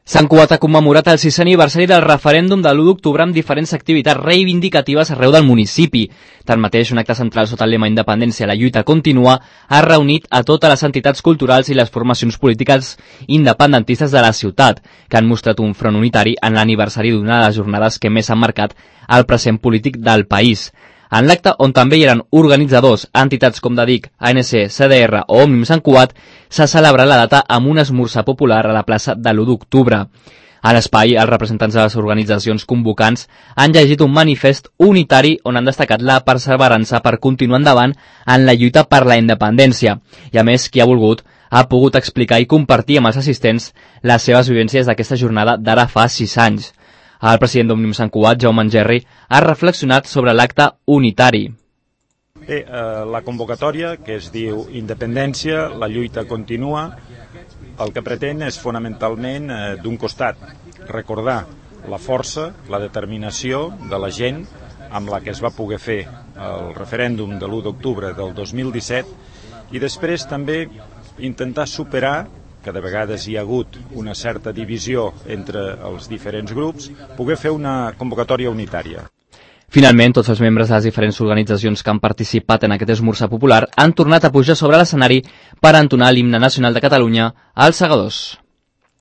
Sant Cugat ha commemorat el 6è aniversari del referèndum de l'1 d'octubre amb diferents activitats reivindicatives arreu del municipi. Tanmateix, un acte central sota el lema Independència, la lluita continua, ha reunit a totes les entitats culturals i les formacions polítiques independentistes de la ciutat, que han mostrat un front unitari en l'aniversari d'una de les jornades que més han marcat el present polític del país. En l'acte, on també hi eren organitzadors, entitats com DADIC, ANC, CDR o Òmnium Sant Cugat, s'ha celebrat la data amb un esmorzar popular a la plaça de l'1 d'octubre. A l'espai, els representants de les organitzacions convocants han llegit un manifest unitari on han destacat la perseverança per continuar endavant en la lluita per la independència. I a més, qui ha volgut ha pogut explicar i compartir amb els assistents les seves vivències d'aquesta jornada d'ara fa 6 anys. El president d'Òmnium Sant Cugat, Jaume Engerri, ha reflexionat sobre l'acte unitari. Bé, la convocatòria, que es diu Independència, la lluita continua, el que pretén és fonamentalment, d'un costat, recordar la força, la determinació de la gent amb la que es va poder fer el referèndum de l'1 d'octubre del 2017 i després també intentar superar que de vegades hi ha hagut una certa divisió entre els diferents grups, poder fer una convocatòria unitària. Finalment, tots els membres de les diferents organitzacions que han participat en aquest esmorzar popular han tornat a pujar sobre l'escenari per entonar l'himne nacional de Catalunya als segadors.